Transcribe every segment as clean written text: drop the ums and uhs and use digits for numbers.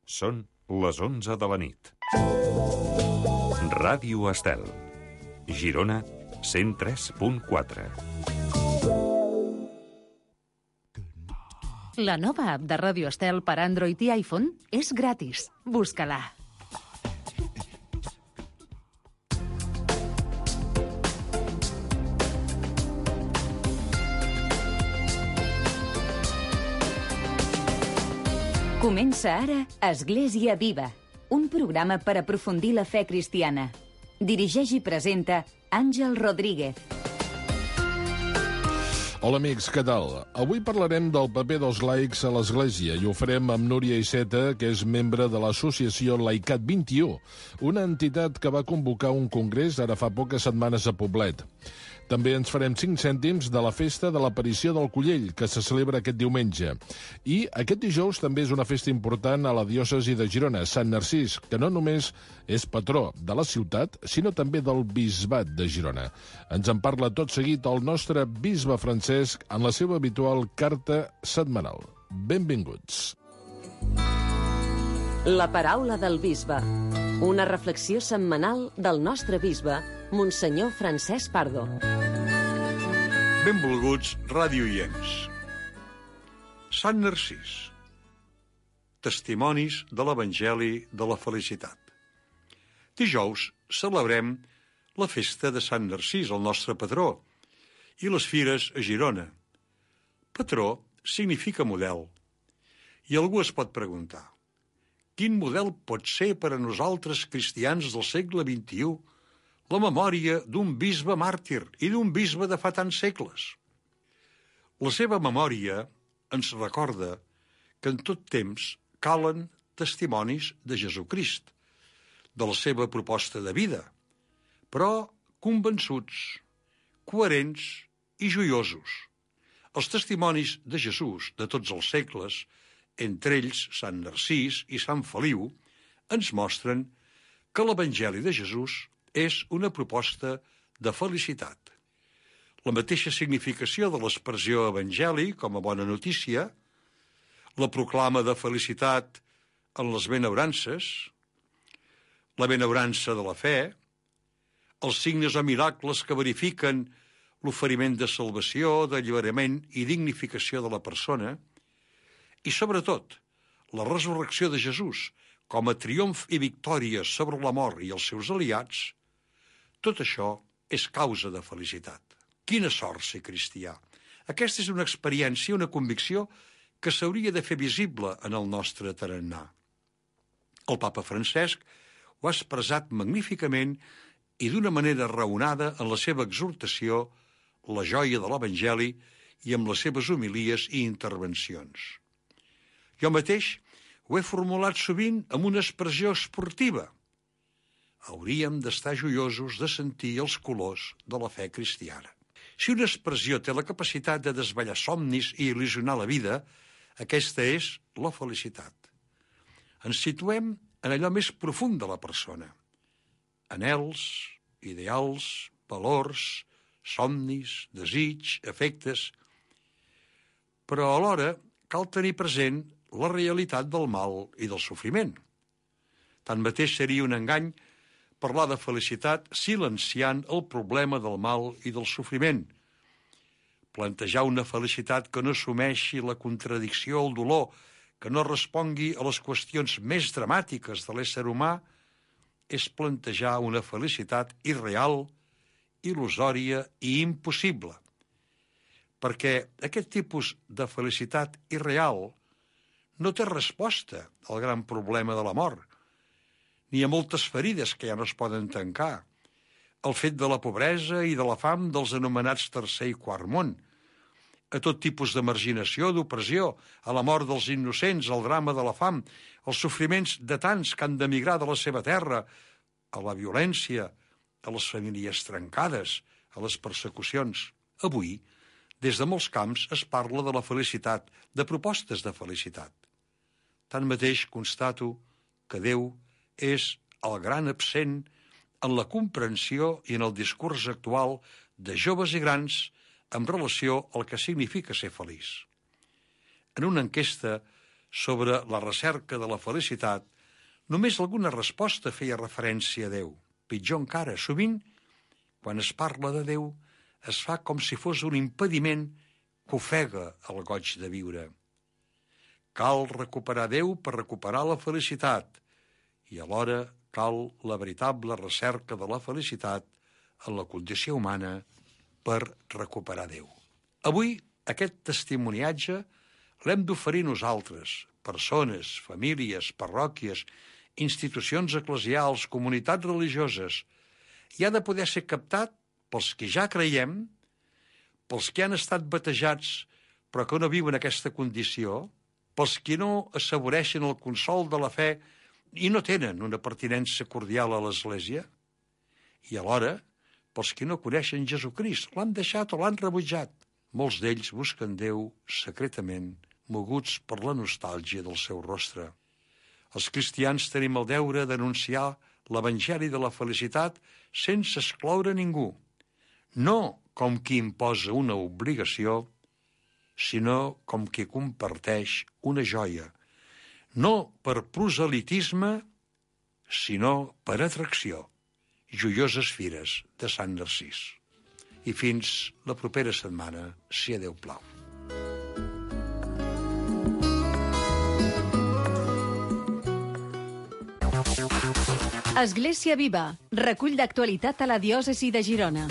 Són les 11 de la nit. Ràdio Estel. Girona, 103.4. La nova app de Ràdio Estel per Android i iPhone és gratis. Busca-la. Comença ara Església Viva, un programa per aprofundir la fe cristiana. Dirigeix i presenta Àngel Rodríguez. Hola amics, què tal? Avui parlarem del paper dels laics a l'Església i ho farem amb Núria Iceta, que és membre de l'associació Laicat 21, una entitat que va convocar un congrés ara fa poques setmanes a Poblet. També ens farem 5 cèntims de la festa de l'aparició del Collell, que se celebra aquest diumenge. I aquest dijous també és una festa important a la diòcesi de Girona, Sant Narcís, que no només és patró de la ciutat, sinó també del bisbat de Girona. Ens en parla tot seguit el nostre bisbe Francesc en la seva habitual carta setmanal. Benvinguts. La paraula del bisbe. Una reflexió setmanal del nostre bisbe, Monsenyor Francesc Pardo. Benvolguts radioients. Sant Narcís. Testimonis de l'Evangeli de la Felicitat. Dijous celebrem la festa de Sant Narcís, el nostre patró, i les fires a Girona. Patró significa model. I algú es pot preguntar: quin model pot ser per a nosaltres cristians del segle XXI la memòria d'un bisbe màrtir i d'un bisbe de fa tants segles? La seva memòria ens recorda que en tot temps calen testimonis de Jesucrist, de la seva proposta de vida, però convençuts, coherents i joiosos. Els testimonis de Jesús de tots els segles, entre ells Sant Narcís i Sant Feliu, ens mostren que l'Evangeli de Jesús és una proposta de felicitat. La mateixa significació de l'expressió evangeli com a bona notícia, la proclama de felicitat en les benaurances, la benaurança de la fe, els signes o miracles que verifiquen l'oferiment de salvació, d'alliberament i dignificació de la persona, i sobretot la resurrecció de Jesús com a triomf i victòria sobre la mort i els seus aliats, tot això és causa de felicitat. Quina sort ser cristià! Aquesta és una experiència, una convicció que s'hauria de fer visible en el nostre tarannà. El papa Francesc ho ha expressat magníficament i d'una manera raonada en la seva exhortació, la joia de l'Evangeli, i amb les seves homilies i intervencions. Jo mateix ho he formulat sovint amb una expressió esportiva. Hauríem d'estar joiosos de sentir els colors de la fe cristiana. Si una expressió té la capacitat de desvetllar somnis i il·lusionar la vida, aquesta és la felicitat. Ens situem en allò més profund de la persona. Anhels, ideals, valors, somnis, desig, afectes. Però alhora cal tenir present la realitat del mal i del sofriment. Tanmateix seria un engany parlar de felicitat silenciant el problema del mal i del sofriment. Plantejar una felicitat que no assumeixi la contradicció o el dolor, que no respongui a les qüestions més dramàtiques de l'ésser humà, és plantejar una felicitat irreal, il·lusòria i impossible. Perquè aquest tipus de felicitat irreal no té resposta al gran problema de la mort, ni a moltes ferides que ja no es poden tancar, el fet de la pobresa i de la fam dels anomenats tercer i quart món, a tot tipus de marginació, d'opressió, a la mort dels innocents, al drama de la fam, als sofriments de tants que han d'emigrar de la seva terra, a la violència, a les famílies trencades, a les persecucions. Avui, des de molts camps es parla de la felicitat, de propostes de felicitat. Tanmateix constato que Déu és el gran absent en la comprensió i en el discurs actual de joves i grans en relació al que significa ser feliç. En una enquesta sobre la recerca de la felicitat, només alguna resposta feia referència a Déu. Pitjor encara, sovint, quan es parla de Déu, es fa com si fos un impediment que ofega el goig de viure. Cal recuperar Déu per recuperar la felicitat i alhora cal la veritable recerca de la felicitat en la condició humana per recuperar Déu. Avui aquest testimoniatge l'hem d'oferir nosaltres, persones, famílies, parròquies, institucions eclesials, comunitats religioses, i ha de poder ser captat pels que ja creiem, pels que han estat batejats però que no viuen aquesta condició, pels que no assaboreixen el consol de la fe i no tenen una pertinença cordial a l'Església, i alhora pels que no coneixen Jesucrist, l'han deixat o l'han rebutjat. Molts d'ells busquen Déu secretament, moguts per la nostàlgia del seu rostre. Els cristians tenim el deure d'anunciar l'Evangeli de la felicitat sense excloure ningú, no com qui imposa una obligació, sinó com qui comparteix una joia, no per proselitisme, sinó per atracció. Joioses fires de Sant Narcís. I fins la propera setmana, si a Déu plau. Església Viva, recull d'actualitat a la diòcesi de Girona.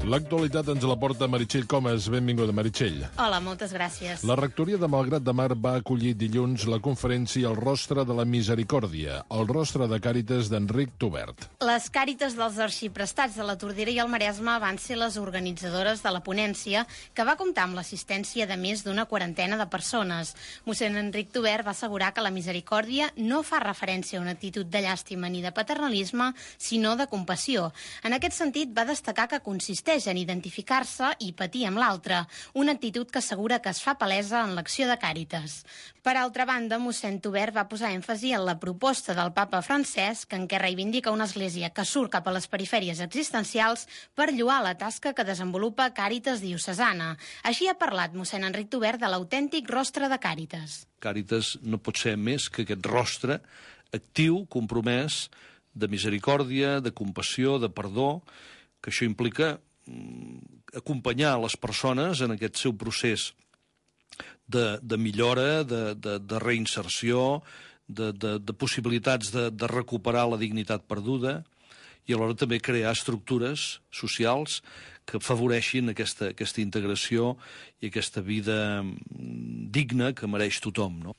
L'actualitat ens la porta Meritxell Comas. Benvinguda, Meritxell. Hola, moltes gràcies. La rectoria de Malgrat de Mar va acollir dilluns la conferència El rostre de la misericòrdia, el rostre de Càritas d'Enric Tubert. Les Càritas dels arxiprestats de la Tordera i el Maresme van ser les organitzadores de la ponència, que va comptar amb l'assistència de més d'una quarantena de persones. Mossèn Enric Tubert va assegurar que la misericòrdia no fa referència a una actitud de llàstima ni de paternalisme, sinó de compassió. En aquest sentit, va destacar que consisteix en identificar-se i patir amb l'altre, una actitud que assegura que es fa palesa en l'acció de Càritas. Per altra banda, mossèn Tubert va posar èmfasi en la proposta del papa Francesc, en què reivindica una església que surt cap a les perifèries existencials per lloar la tasca que desenvolupa Càritas diocesana. Així ha parlat mossèn Enric Tubert de l'autèntic rostre de Càritas. Càritas no pot ser més que aquest rostre actiu, compromès, de misericòrdia, de compassió, de perdó, que això implica acompanyar les persones en aquest seu procés de millora, de reinserció, de possibilitats de recuperar la dignitat perduda i alhora també crear estructures socials que afavoreixin aquesta integració i aquesta vida digna que mereix tothom, no?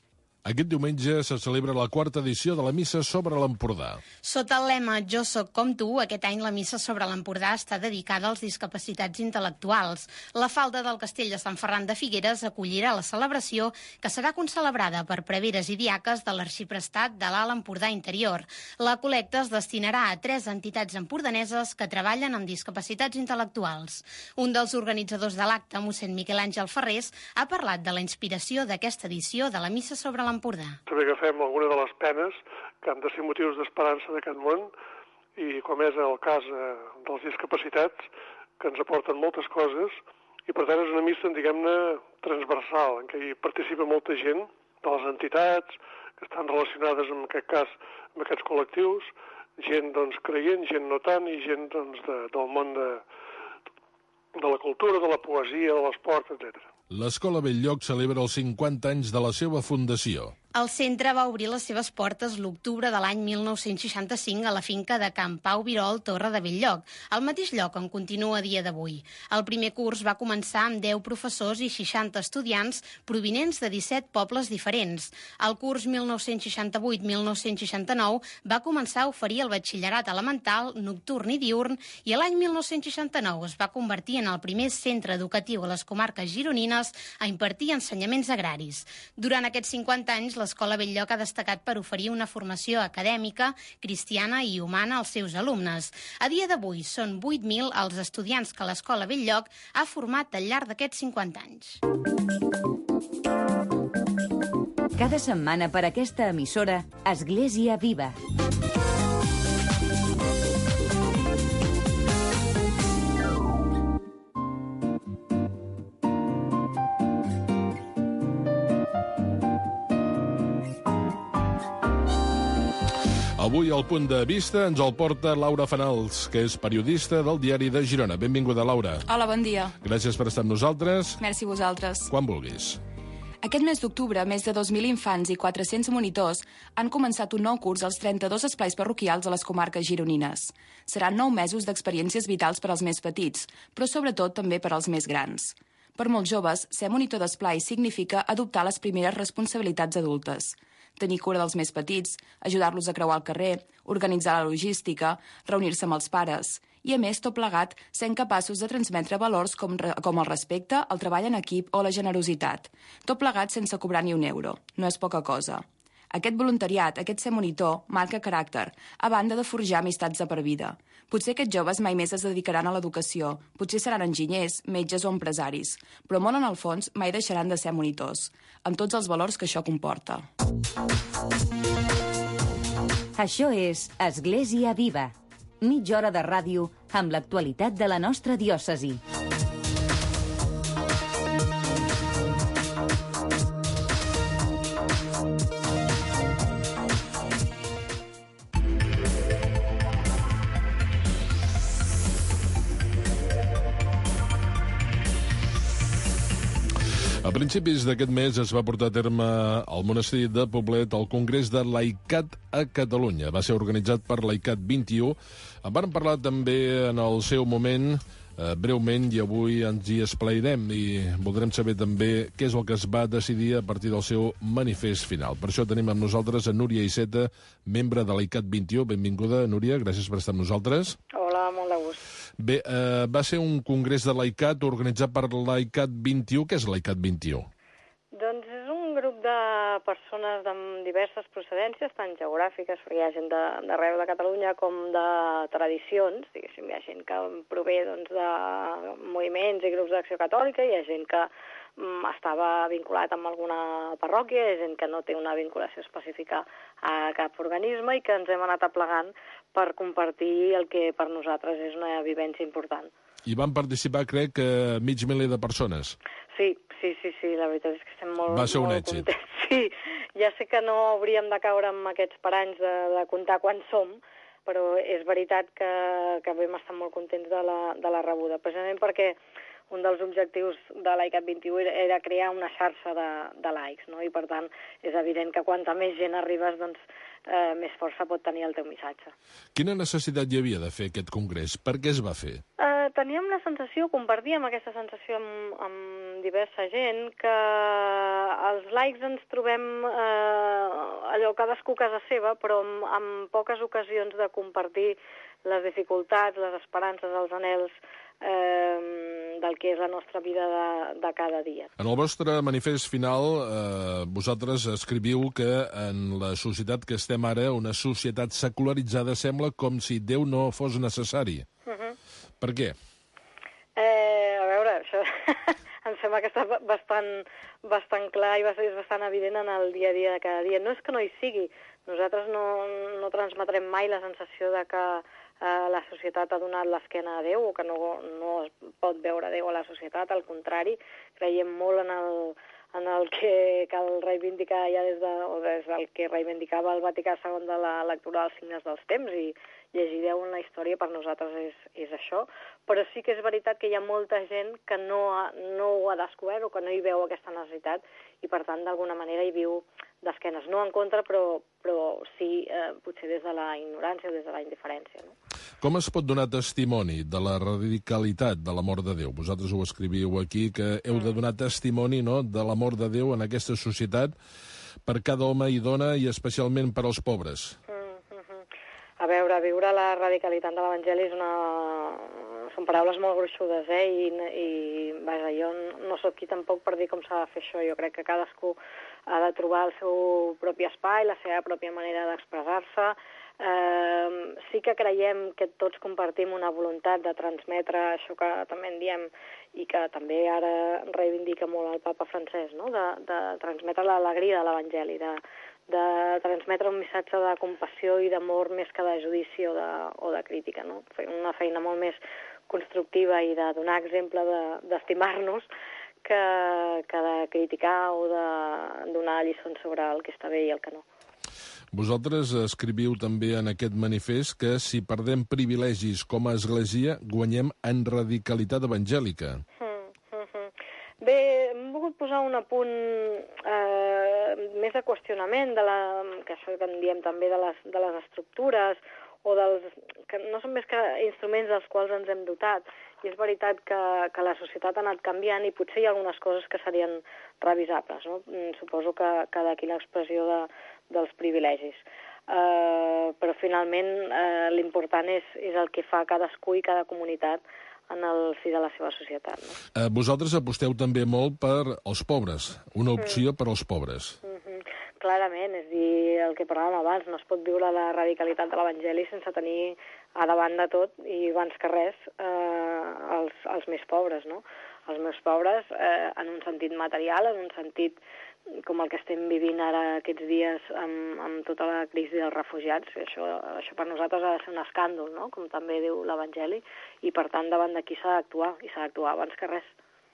Aquest diumenge se celebra la 4ª edició de la Missa sobre l'Empordà. Sota el lema Jo soc com tu, aquest any la Missa sobre l'Empordà està dedicada als discapacitats intel·lectuals. La falda del Castell de Sant Ferran de Figueres acollirà la celebració, que serà concelebrada per preveres i diaques de l'Arxiprestat de l'Alt Empordà Interior. La col·lecta es destinarà a 3 entitats empordaneses que treballen amb discapacitats intel·lectuals. Un dels organitzadors de l'acte, mossèn Miquel Àngel Ferrés, ha parlat de la inspiració d'aquesta edició de la Missa sobre l'Empordà. També agafem alguna de les penes que han de ser motius d'esperança d'aquest món i com és el cas dels discapacitats, que ens aporten moltes coses i per tant és una missa, diguem-ne, transversal, en què hi participa molta gent de les entitats que estan relacionades en aquest cas amb aquests col·lectius, gent doncs creient, gent no tant i gent doncs del món de la cultura, de la poesia, de l'esport, etc. L'Escola Belllloc celebra els 50 anys de la seva fundació. El centre va obrir les seves portes l'octubre de l'any 1965 a la finca de Can Pau Virol, Torre de Belllloc, al mateix lloc on continua a dia d'avui. El primer curs va començar amb 10 professors i 60 estudiants provinents de 17 pobles diferents. El curs 1968-1969 va començar a oferir el batxillerat elemental, nocturn i diurn i l'any 1969 es va convertir en el primer centre educatiu a les comarques gironines a impartir ensenyaments agraris. Durant aquests 50 anys, l'Escola Belllloc ha destacat per oferir una formació acadèmica, cristiana i humana als seus alumnes. A dia d'avui són 8.000 els estudiants que l'Escola Belllloc ha format al llarg d'aquests 50 anys. Cada setmana per aquesta emissora, Església Viva. Avui al Punt de Vista ens el porta Laura Fanals, que és periodista del Diari de Girona. Benvinguda, Laura. Hola, bon dia. Gràcies per estar amb nosaltres. Merci a vosaltres. Quan vulguis. Aquest mes d'octubre, més de 2.000 infants i 400 monitors han començat un nou curs als 32 esplais parroquials a les comarques gironines. Seran 9 mesos d'experiències vitals per als més petits, però sobretot també per als més grans. Per molts joves, ser monitor d'esplai significa adoptar les primeres responsabilitats adultes. Tenir cura dels més petits, ajudar-los a creuar el carrer, organitzar la logística, reunir-se amb els pares. I, a més, tot plegat, sent capaços de transmetre valors com el respecte, el treball en equip o la generositat. Tot plegat sense cobrar ni un euro. No és poca cosa. Aquest voluntariat, aquest ser monitor, marca caràcter, a banda de forjar amistats de per vida. Potser aquests joves mai més es dedicaran a l'educació, potser seran enginyers, metges o empresaris, però molt en el fons mai deixaran de ser monitors, amb tots els valors que això comporta. Això és Església Viva. Mitja hora de ràdio amb l'actualitat de la nostra diòcesi. A principis d'aquest mes es va portar a terme al monestir de Poblet el Congrés de Laicat a Catalunya. Va ser organitzat per Laicat 21. En vam parlar també en el seu moment, breument, i avui ens hi esplairem i voldrem saber també què és el que es va decidir a partir del seu manifest final. Per això tenim amb nosaltres a Núria Iceta, membre de Laicat 21. Benvinguda, Núria, gràcies per estar amb nosaltres. Hola, molt de gust. Bé, va ser un congrés de Laicat organitzat per Laicat 21. Què és Laicat 21? Doncs és un grup de persones de diverses procedències, tant geogràfiques, perquè hi ha gent d'arreu de Catalunya com de tradicions, diguéssim, hi ha gent que prové doncs, de moviments i grups d'acció catòlica, hi ha gent que estava vinculat amb alguna parròquia, hi ha gent que no té una vinculació específica a cap organisme i que ens hem anat aplegant per compartir el que per nosaltres és una vivència important. I van participar, crec, mig miler de persones. Sí, la veritat és que estem molt, va ser un molt èxit. contents. Sí, ja sé que no hauríem de caure en aquests paranys de comptar quants som, però és veritat que vam estar molt contents de la rebuda, precisament perquè un dels objectius de Laicat 21 era crear una xarxa de laics, no? I per tant és evident que quanta més gent arribes, doncs més força pot tenir el teu missatge. Quina necessitat hi havia de fer aquest congrés? Per què es va fer? Teníem la sensació, compartíem aquesta sensació amb diversa gent, que els laics ens trobem allò cadascú a casa seva, però amb poques ocasions de compartir les dificultats, les esperances, els anhels del que és la nostra vida de cada dia. En el vostre manifest final, vosaltres escriviu que en la societat que estem ara, una societat secularitzada, sembla com si Déu no fos necessari. Per què? A veure, això em sembla que està bastant clar i és bastant evident en el dia a dia de cada dia. No és que no hi sigui, nosaltres no transmetrem mai la sensació de que la societat ha donat l'esquena a Déu o que no es pot veure Déu a la societat, al contrari, creiem molt en el que cal reivindicar ja des del que reivindicava el Vaticà II de la lectura dels signes dels temps, i llegir Déu en la història per nosaltres és això, però sí que és veritat que hi ha molta gent que no ho ha descobert o que no hi veu aquesta necessitat i per tant d'alguna manera hi viu d'esquenes, no en contra però sí potser des de la ignorància o des de la indiferència, no? Com es pot donar testimoni de la radicalitat de l'amor de Déu? Vosaltres ho escriviu aquí, que heu de donar testimoni, no?, de l'amor de Déu en aquesta societat per cada home i dona i especialment per als pobres. A veure, viure la radicalitat de l'Evangeli són paraules molt gruixudes, i vaja, jo no sóc qui tampoc per dir com s'ha de fer això. Jo crec que cadascú ha de trobar el seu propi espai, la seva pròpia manera d'expressar-se. Sí que creiem que tots compartim una voluntat de transmetre això que també en diem i que també ara reivindica molt el papa Francesc, no? De transmetre l'alegria de l'Evangeli, de transmetre un missatge de compassió i d'amor més que de judici o de crítica, no? Fer una feina molt més constructiva i de donar exemple d'estimar-nos que de criticar o de donar lliçons sobre el que està bé i el que no. Vosaltres escriviu també en aquest manifest que si perdem privilegis com a església, guanyem en radicalitat evangèlica. Bé, hem volgut posar un apunt més de qüestionament que això que en diem també de les estructures o que no són més que instruments dels quals ens hem dotat. I és veritat que la societat ha anat canviant i potser hi ha algunes coses que serien revisables, no? Suposo que d'aquí l'expressió dels privilegis. Però finalment l'important és el que fa cadascú i cada comunitat en el si de la seva societat. No? Vosaltres aposteu també molt per als pobres, una opció per als pobres. Clarament, és dir, el que parlàvem abans, no es pot viure la radicalitat de l'Evangeli sense tenir a davant de tot, i abans que res, els més pobres, no? Els més pobres en un sentit material, en un sentit com el que estem vivint ara aquests dies amb tota la crisi dels refugiats. Això per nosaltres ha de ser un escàndol, no? Com també diu l'Evangeli, i per tant davant d'aquí s'ha d'actuar, i s'ha d'actuar abans que res.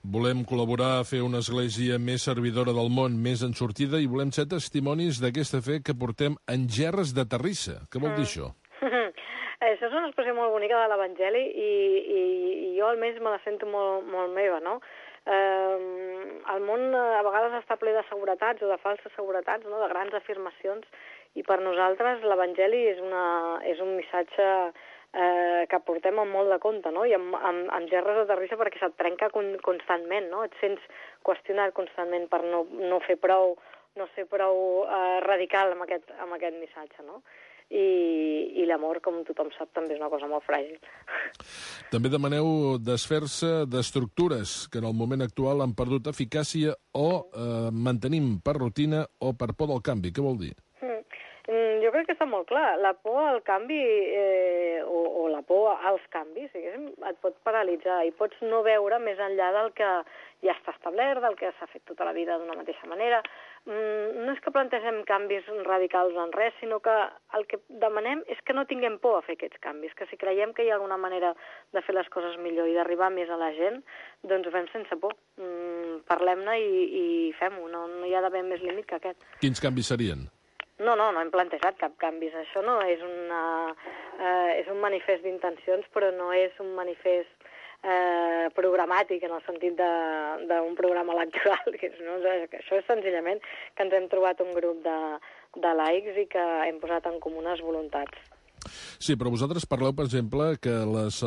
Volem col·laborar a fer una església més servidora del món, més en sortida, i volem ser testimonis d'aquesta fe que portem en gerres de terrissa. Què vol dir això? Això és una expressió molt bonica de l'Evangeli i jo almenys me la sento molt, molt meva, no? El món a vegades està ple de seguretats o de falses seguretats, no? De grans afirmacions, i per nosaltres l'Evangeli és un missatge que portem amb molt de compte, no? I amb gerres de terrissa perquè se't trenca constantment, no? Et sents qüestionat constantment per no ser prou radical amb aquest missatge, no? I l'amor, com tothom sap, també és una cosa molt fràgil. També demaneu desfer-se d'estructures que en el moment actual han perdut eficàcia o mantenim per rutina o per por del canvi. Què vol dir? Jo crec que està molt clar. La por al canvi o la por als canvis, et pot paralitzar i pots no veure més enllà del que ja està establert, del que s'ha fet tota la vida d'una mateixa manera. No és que plantegem canvis radicals en res, sinó que el que demanem és que no tinguem por a fer aquests canvis, que si creiem que hi ha alguna manera de fer les coses millor i d'arribar més a la gent, doncs ho fem sense por. Parlem-ne i fem-ho. No hi ha d'haver més límit que aquest. Quins canvis serien? No hem plantejat cap canvis. Això no és és un manifest d'intencions, però no és un manifest programàtic en el sentit d'un programa electoral. Això és senzillament que ens hem trobat un grup de laics i que hem posat en comú unes voluntats. Sí, però vosaltres parleu, per exemple, que les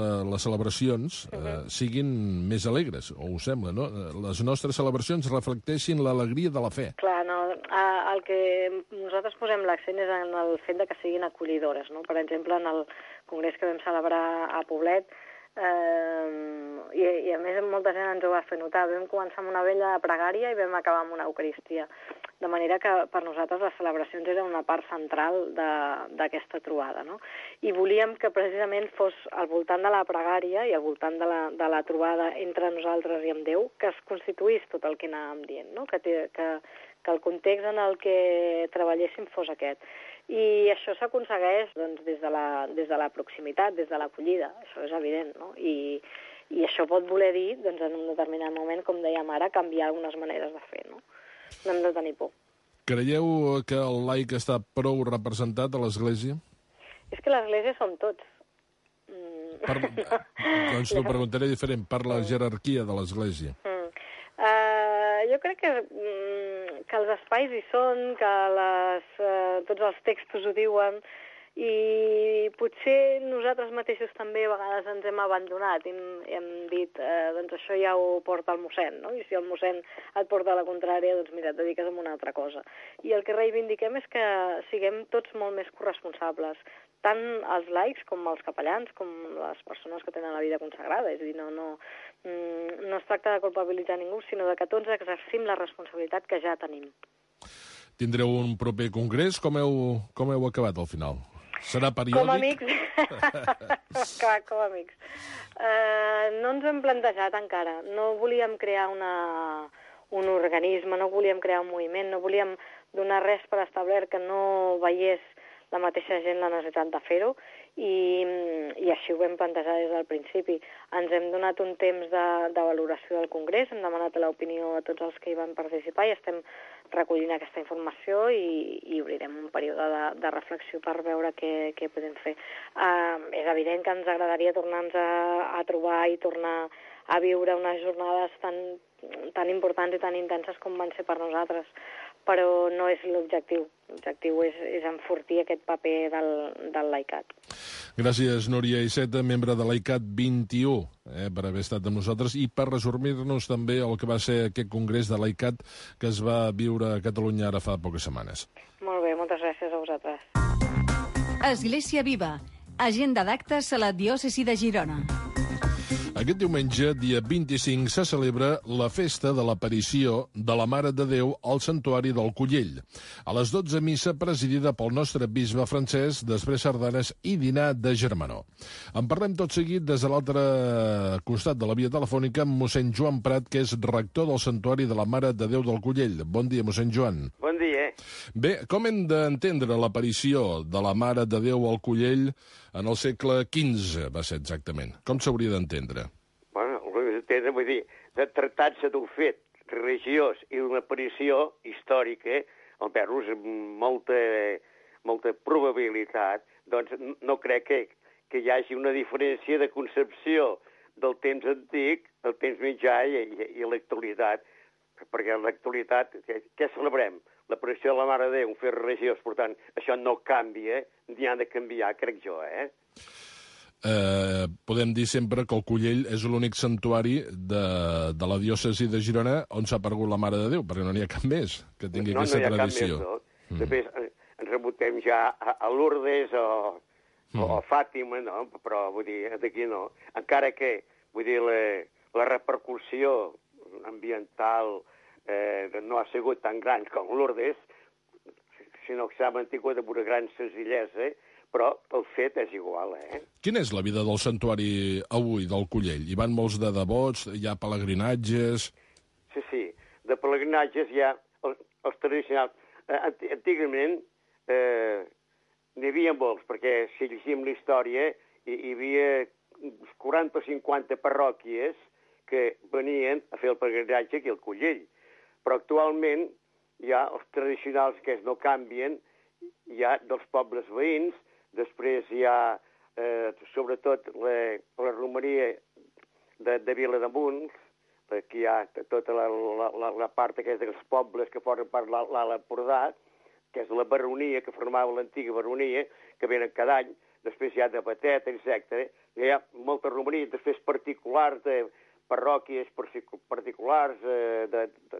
celebracions siguin més alegres, o us sembla, no? Les nostres celebracions reflecteixin l'alegria de la fe. Clar, no, el que nosaltres posem l'accent és en el fet de que siguin acollidores, no? Per exemple, en el congrés que vam celebrar a Poblet, i a més molta gent ens ho va fer notar. Vam començar amb una vella pregària i vam acabar amb una eucaristia. De manera que per nosaltres les celebracions eren una part central d'aquesta trobada, no? I volíem que precisament fos al voltant de la pregària i al voltant de la trobada entre nosaltres i amb Déu que es constituís tot el que anàvem dient, no? Que el context en el que treballéssim fos aquest. I això s'aconsegueix doncs, des de la proximitat, des de l'acollida, això és evident, no? I això pot voler dir, doncs, en un determinat moment, com dèiem ara, canviar algunes maneres de fer, no? No hem de tenir por. Creieu que el laic està prou representat a l'Església? És que l'Església som tots. Doncs t'ho preguntaré diferent, per la jerarquia de l'Església. Jo crec que els espais hi són, que tots els textos ho diuen, i potser nosaltres mateixos també a vegades ens hem abandonat i hem dit, doncs això ja ho porta el mossèn, no? I si el mossèn et porta a la contrària, doncs mira, et dediques a una altra cosa. I el que reivindiquem és que siguem tots molt més corresponsables, tant els laics com els capellans, com les persones que tenen la vida consagrada. És a dir, no es tracta de culpabilitzar ningú, sinó de que tots exercim la responsabilitat que ja tenim. Tindreu un proper congrés? Com heu acabat al final? Serà periòdic? Com a amics. Clar, com a amics. No ens ho hem plantejat encara. No volíem crear un organisme, no volíem crear un moviment, no volíem donar res per establert que no veiés la mateixa gent la necessitat de fer-ho, i així ho vam plantejar des del principi. Ens hem donat un temps de valoració del Congrés, hem demanat l'opinió a tots els que hi van participar i estem recollint aquesta informació i obrirem un període de reflexió per veure què podem fer. És evident que ens agradaria tornar-nos a trobar i tornar a viure unes jornades tan importants i tan intenses com van ser per nosaltres, però no és l'objectiu. L'objectiu és enfortir aquest paper del LAICAT. Gràcies, Núria Iceta, membre de l'AICAT 21, per haver estat amb nosaltres i per resumir-nos també el que va ser aquest congrés de l'AICAT que es va viure a Catalunya ara fa poques setmanes. Molt bé, moltes gràcies a vosaltres. Església Viva, agenda d'actes a la diòcesi de Girona. Aquest diumenge, dia 25, se celebra la festa de l'aparició de la Mare de Déu al Santuari del Collell. A les 12, missa presidida pel nostre bisbe Francesc, després sardanes i dinar de germanor. En parlem tot seguit des de l'altre costat de la via telefònica amb mossèn Joan Prat, que és rector del Santuari de la Mare de Déu del Collell. Bon dia, mossèn Joan. Bon dia. Bé, com hem d'entendre l'aparició de la Mare de Déu al Collell en el segle XV, va ser exactament? Com s'hauria d'entendre? Bueno, vull dir, de tractar-se d'un fet religiós i d'una aparició històrica, almenys amb molta probabilitat, doncs no crec que hi hagi una diferència de concepció del temps antic, del temps mitjà i l'actualitat. Perquè en l'actualitat, què celebrem? L'aparició de la Mare de Déu, un fet religiós, per tant, això no canvia, ni ha de canviar, crec jo, Podem dir sempre que el Collell és l'únic santuari de la diòcesi de Girona on s'ha aparegut la Mare de Déu, perquè no n'hi ha cap més que tingui aquesta tradició. No. Després ens remuntem ja a Lourdes o Fàtima, no? Però vull dir, d'aquí no. Encara que, vull dir, la repercussió ambiental no ha sigut tan gran com Lourdes, sinó que s'ha mantingut amb una gran senzillesa, però el fet és igual, Quina és la vida del santuari avui, del Collell? Hi van molts de devots, hi ha pelegrinatges... Sí, de pelegrinatges hi ha els tradicionals. Antigament n'hi havia molts, perquè si llegim la història hi havia 40 o 50 parròquies que venien a fer el pelegrinatge aquí al Collell. Però actualment hi ha els tradicionals que no canvien, hi ha dels pobles veïns, després hi ha, sobretot, la romeria de Vilademuls, que hi ha tota la part aquesta dels pobles que formen part de l'Alt Empordà, que és la baronia, que formava l'antiga baronia, que venen cada any, després hi ha de Batet, etc. Hi ha molta romeria, després particulars de parròquies particulars,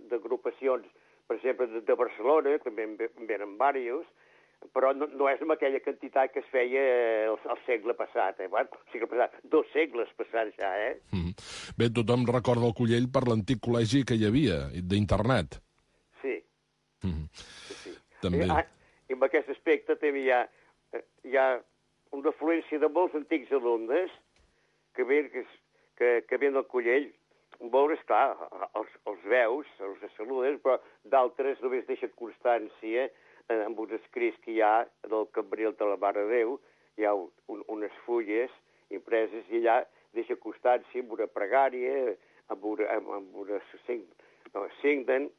d'agrupacions, per exemple, de Barcelona, també en venen diversos, però no és amb aquella quantitat que es feia el segle passat. Bueno, el segle passat, 2 segles passats ja, Bé, tothom recorda el Collell per l'antic col·legi que hi havia, d'internat. Sí. Sí. També. I en aquest aspecte també hi ha una afluència de molts antics alumnes que venen al Collell. Molts, esclar, els veus, els saluden, però d'altres només deixen constància amb uns escrits que hi ha del cambril de la Mare de Déu, hi ha unes fulles impreses i allà deixa constància amb una pregària, amb una signen,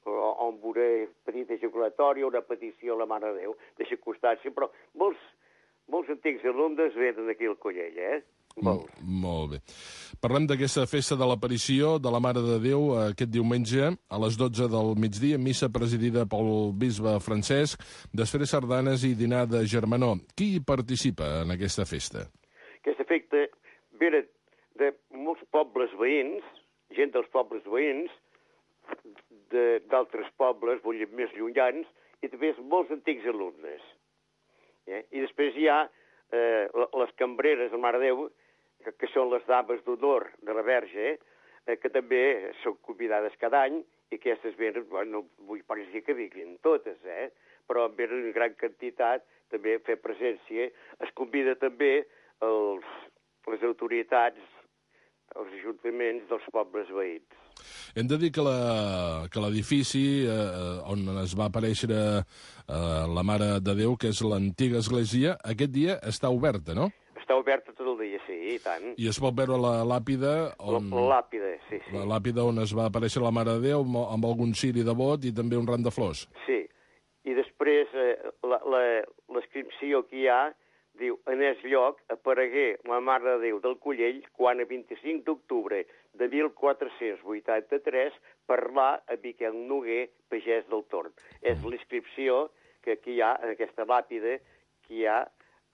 o amb una petita ejaculatòria, una petició a la Mare de Déu, deixa constància, però molts antics alumnes venen aquí al Collell, Molt bé. Parlem d'aquesta festa de l'aparició de la Mare de Déu aquest diumenge a les 12 del migdia, missa presidida pel bisbe Francesc, després sardanes i dinar de germanor. Qui hi participa en aquesta festa? Aquesta festa ve de molts pobles veïns, gent dels pobles veïns, d'altres pobles, vull dir, més llunyans, i també molts antics alumnes. I després hi ha les cambreres de Mare de Déu, que són les dames d'honor de la Verge, que també són convidades cada any, i aquestes venen, no vull parecer que vinguin totes, però venen en gran quantitat també a fer presència. Es convida també les autoritats, els ajuntaments dels pobles veïns. Hem de dir que l'edifici on es va aparèixer la Mare de Déu, que és l'antiga església, aquest dia està oberta, no? Està oberta tot el dia, sí, i tant. I es pot veure la làpida on... La làpida, sí. La làpida on es va aparèixer la Mare de Déu amb algun ciri de bot i també un ram de flors. Sí, i després l'inscripció que hi ha diu, en el lloc aparegué la Mare de Déu del Collell quan a 25 d'octubre de 1483 parlar a Miquel Noguer, pagès del Torn. És l'inscripció que hi ha en aquesta làpida que hi ha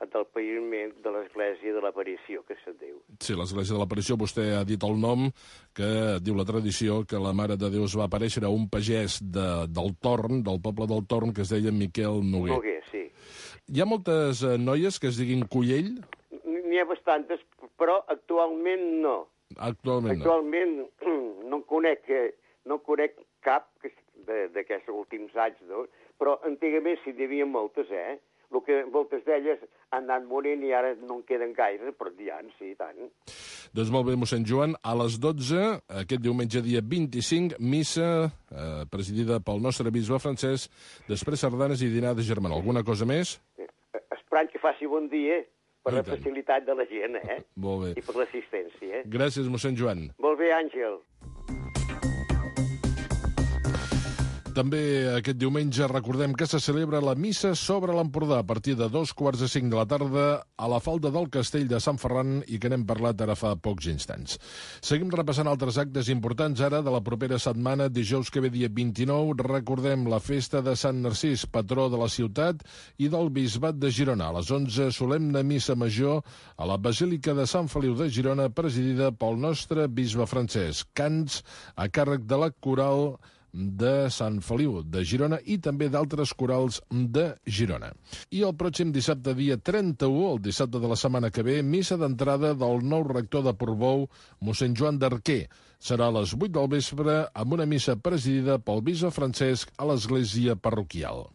del paviment de l'Església de l'Aparició, que se'n diu. Sí, l'Església de l'Aparició, vostè ha dit el nom, que diu la tradició que la Mare de Déu es va aparèixer a un pagès del Torn, del poble del Torn, que es deia Miquel Noguer. Noguer, sí. Hi ha moltes noies que es diguin Collell? N'hi ha bastantes, però actualment no. Actualment no conec cap d'aquests últims anys, no? Però antigament sí n'hi havia moltes, El que moltes d'elles han anat morint i ara no en queden gaire, però n'hi ha, sí, tant. Doncs molt bé, mossèn Joan, a les 12, aquest diumenge dia 25, missa presidida pel nostre bisbe francès, després sardanes i dinar de germanor. Alguna cosa més? Esperant que faci bon dia per la facilitat de la gent, Molt bé. I per l'assistència, Gràcies, mossèn Joan. Molt bé, Àngel. També aquest diumenge recordem que se celebra la missa sobre l'Empordà a partir de 2:45 de la tarda a la falda del Castell de Sant Ferran i que n'hem parlat ara fa pocs instants. Seguim repassant altres actes importants ara de la propera setmana. Dijous que ve dia 29 recordem la festa de Sant Narcís, patró de la ciutat i del Bisbat de Girona. A les 11, solemne missa major a la Basílica de Sant Feliu de Girona, presidida pel nostre bisbe francès. Cants a càrrec de la coral de Sant Feliu de Girona i també d'altres corals de Girona. I el pròxim dissabte, dia 31, el dissabte de la setmana que ve, missa d'entrada del nou rector de Portbou, mossèn Joan d'Arquer. Serà a les 8 del vespre amb una missa presidida pel bisbe Francesc a l'església parroquial.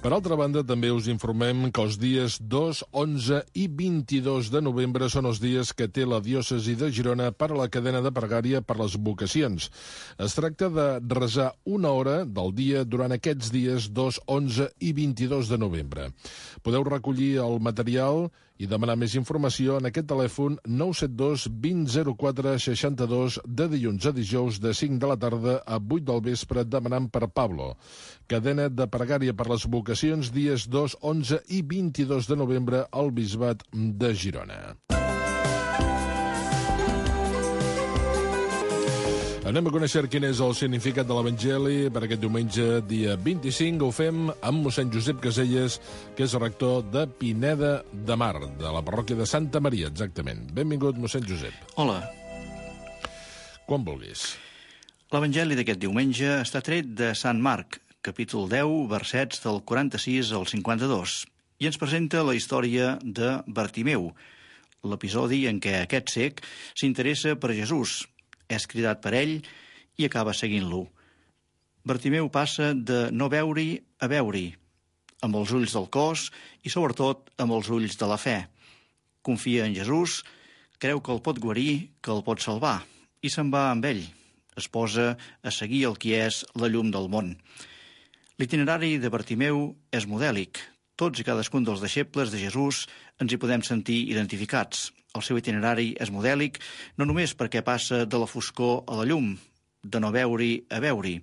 Per altra banda, també us informem que els dies 2, 11 i 22 de novembre són els dies que té la diòcesi de Girona per a la cadena de pregària per les vocacions. Es tracta de resar una hora del dia durant aquests dies 2, 11 i 22 de novembre. Podeu recollir el material i demanar més informació en aquest telèfon 972 20 04 62 de dilluns a dijous de 5 de la tarda a 8 del vespre demanant per Pablo. Cadena de pregària per les vocacions dies 2, 11 i 22 de novembre al Bisbat de Girona. Anem a conèixer quin és el significat de l'Evangeli per aquest diumenge, dia 25. Ho fem amb mossèn Josep Caselles, que és rector de Pineda de Mar, de la parròquia de Santa Maria, exactament. Benvingut, mossèn Josep. Hola. Quan vulguis. L'Evangeli d'aquest diumenge està tret de Sant Marc, capítol 10, versets del 46 al 52, i ens presenta la història de Bartimeu, l'episodi en què aquest cec s'interessa per Jesús, és cridat per ell i acaba seguint-lo. Bartimeu passa de no veure-hi a veure-hi, amb els ulls del cos i, sobretot, amb els ulls de la fe. Confia en Jesús, creu que el pot guarir, que el pot salvar, i se'n va amb ell. Es posa a seguir el qui és la llum del món. L'itinerari de Bartimeu és modèlic. Tots i cadascun dels deixebles de Jesús ens hi podem sentir identificats. El seu itinerari és modèlic no només perquè passa de la foscor a la llum, de no veure-hi a veure-hi.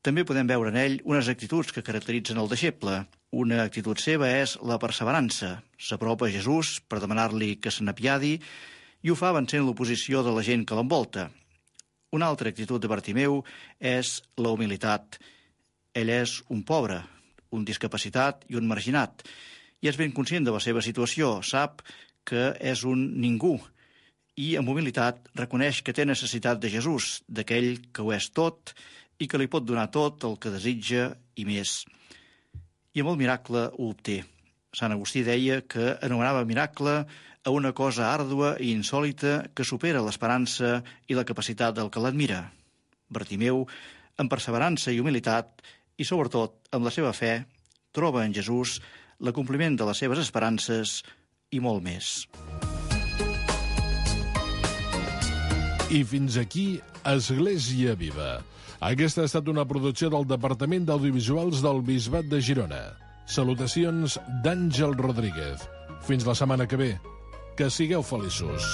També podem veure en ell unes actituds que caracteritzen el deixeble. Una actitud seva és la perseverança. S'apropa a Jesús per demanar-li que se n'apiadi i ho fa vencent l'oposició de la gent que l'envolta. Una altra actitud de Bartimeu és la humilitat. Ell és un pobre, un discapacitat i un marginat, i és ben conscient de la seva situació, sap que és un ningú, i amb humilitat reconeix que té necessitat de Jesús, d'aquell que ho és tot i que li pot donar tot el que desitja i més. I amb el miracle ho obté. Sant Agustí deia que anomenava miracle a una cosa àrdua i insòlita que supera l'esperança i la capacitat del que l'admira. Bartimeu, amb perseverança i humilitat, i sobretot amb la seva fe, troba en Jesús l'acompliment de les seves esperances i molt més. I fins aquí Església Viva. Aquesta ha estat una producció del Departament d'Audiovisuals del Bisbat de Girona. Salutacions d'Àngel Rodríguez. Fins la setmana que ve. Que sigueu feliços.